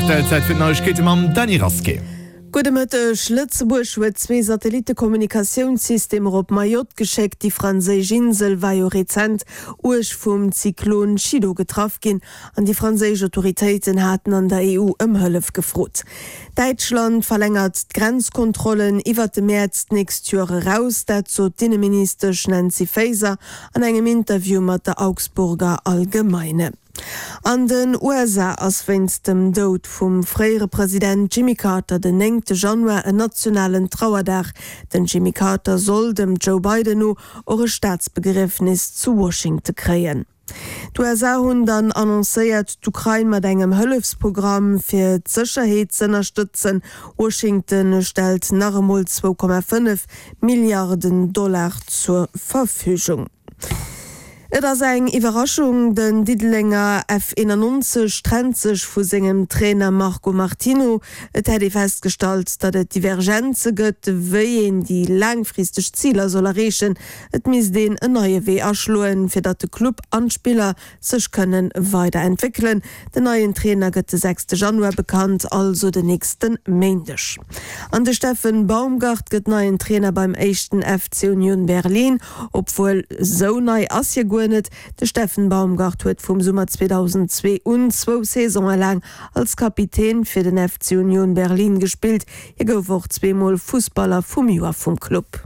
Rtl. Zäit fir d'Neiegkeete mam Dany Rasqué. Gudde Mëtteg. Lëtzebuerg huet zwee Satellittekommunikatiounssystemer op Mayotte geschéckt. Déi franséisch Insel war jo rezent uerg vum Zyklon Chido getraff ginn an déi franséisch Autoritéiten haten an der EU ëm Hëllef gefrot. Däitschland verlängert d'Grenzkontrollen iwwert de Mäerz d'nächst Joer eraus. Dat sot d'Inneministesch Nancy Faeser an engem Interview mat der Augsburger Allgemeine. An den USA ass wéinst dem Doud vum fréiere President Jimmy Carter den néngte Januar en nationalen Trauerdag. Den Jimmy Carter soll dem Joe Biden no och e Staatsbegriefnis zu Washington kréien. D'USA hunn dann annoncéiert, d'Ukrain mat engem Hëllefsprogramm fir d'Sécherheet z'ënnerstëtzen. Washington stellt nach emol 2,5 Milliarden Dollar zur Verfügung. Et ass eng Iwwerraschung, Den Diddelenger F91 trennt sech vu sengem Trainer Marco Martino. Et hätt ee festgestallt, datt et Divergenze gëtt, wéi een déi laangfristeg Ziler soll erreechen. Et misst een en neie Wee aschloen, fir datt de Club an d'Spiller sech kënne weider entwéckelen. Den neien Trainer gëtt de sechste Januar bekannt, also den nächste Méindeg. An de Steffen Baumgart gëtt neien Trainer beim éischten FC Union Berlin. Obwuel, sou nei ass hie guer net. De Steffen Baumgart huet vum Summer 2002 un zwou Saisone laang als Kapitän fir den FC Union Berlin gespillt. Hie gouf och zweemol Fussballer vum Joer vum Club.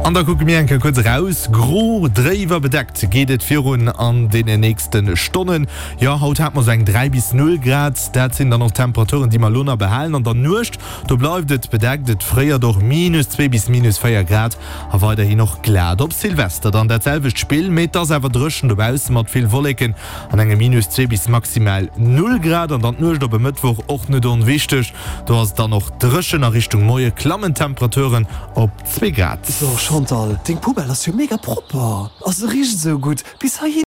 An da kucke mir eng Kéier kuerz eraus. Gro, dréif a bedeckt geet et virun an deene nächste Stonnen. Jo, haut hate mer sou eng 3 bis 0 Grad. Dat sinn dann och d'Temperaturen, déi mer elo nach behalen. An der Nuecht, do bleift et bedeckt, et fréiert och, minus 2 bis minus 4 Grad a weiderhin och glat. Op Silvester dann dat selwecht Spill, mee et ass awer dréchen dobausse mat vill Wolleken. An engem minus 2 bis maximal 0 Grad. An dann d'Nuecht op e Mëttwoch, och net onwichteg, do ass et dann och dréchen. A Richtung Moie klammen d'Temperaturen op 2 Grad. So Chantal, deng Poubelle ass jo mega propper a se richt esou gutt bis heihinner.